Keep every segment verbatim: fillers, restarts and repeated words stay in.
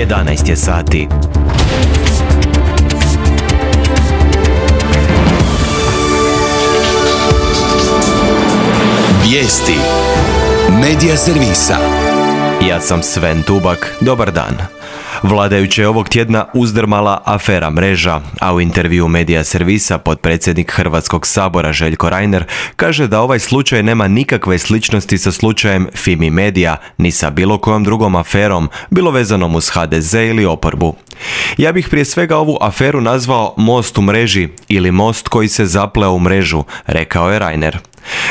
jedanaest je sati. Vijesti Medija servisa. Ja sam Sven Tubak, dobar dan. Vladajuće je ovog tjedna uzdrmala afera Mreža, a u intervjuu Medija servisa potpredsjednik Hrvatskog sabora Željko Reiner kaže da ovaj slučaj nema nikakve sličnosti sa slučajem Fimi Media, ni sa bilo kojom drugom aferom, bilo vezanom uz ha de ze ili oporbu. Ja bih prije svega ovu aferu nazvao most u mreži ili most koji se zapleo u mrežu, rekao je Reiner.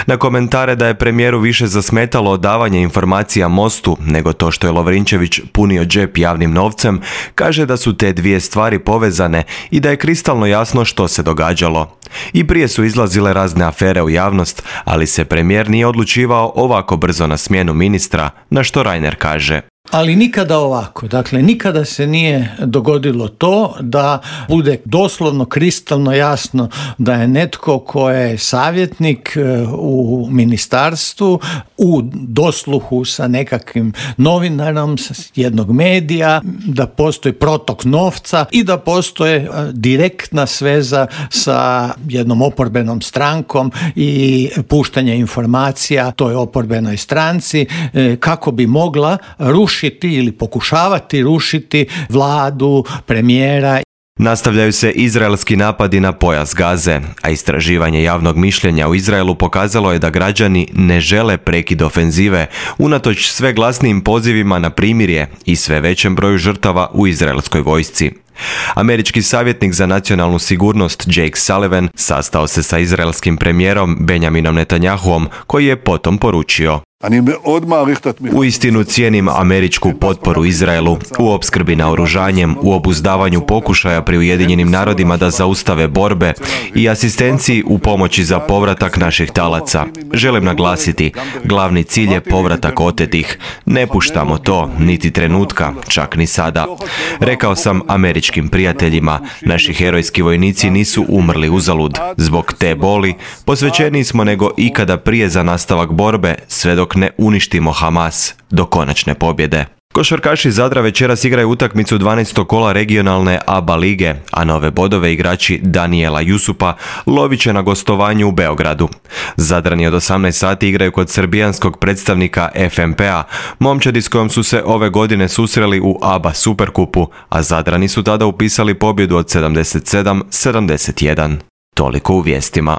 Na komentare da je premijeru više zasmetalo odavanje informacija Mostu nego to što je Lovrinčević punio džep javnim novcem, kaže da su te dvije stvari povezane i da je kristalno jasno što se događalo. I prije su izlazile razne afere u javnost, ali se premijer nije odlučivao ovako brzo na smjenu ministra, na što Reiner kaže. Ali nikada ovako, dakle nikada se nije dogodilo to da bude doslovno kristalno jasno da je netko ko je savjetnik u ministarstvu u dosluhu sa nekakvim novinarom sa jednog medija, da postoji protok novca i da postoje direktna sveza sa jednom oporbenom strankom i puštanje informacija toj oporbenoj stranci kako bi mogla rušiti ili pokušavati rušiti vladu, premijera. Nastavljaju se izraelski napadi na pojas Gaze, a istraživanje javnog mišljenja u Izraelu pokazalo je da građani ne žele prekid ofenzive, unatoč sve glasnijim pozivima na primirje i sve većem broju žrtava u izraelskoj vojsci. Američki savjetnik za nacionalnu sigurnost Jake Sullivan sastao se sa izraelskim premijerom Benjaminom Netanjahuom, koji je potom poručio: Uistinu cijenim američku potporu Izraelu u opskrbi naoružanjem, u obuzdavanju pokušaja pri Ujedinjenim narodima da zaustave borbe i asistenciji u pomoći za povratak naših talaca. Želim naglasiti, glavni cilj je povratak otetih. Ne puštamo to, niti trenutka, čak ni sada. Rekao sam američkim prijateljima, naši herojski vojnici nisu umrli uzalud. Zbog te boli, posvećeniji smo nego ikada prije za nastavak borbe, sve dok ne uništimo Hamas do konačne pobjede. Košarkaši Zadra večeras igraju utakmicu dvanaestog kola regionalne A B A lige, a nove bodove igrači Danijela Jusupa lovit će na gostovanju u Beogradu. Zadrani od osamnaest sati igraju kod srbijanskog predstavnika F M P a, momčadi s kojom su se ove godine susreli u A B A Superkupu, a Zadrani su tada upisali pobjedu od sedamdeset sedam sedamdeset jedan. Toliko u vijestima.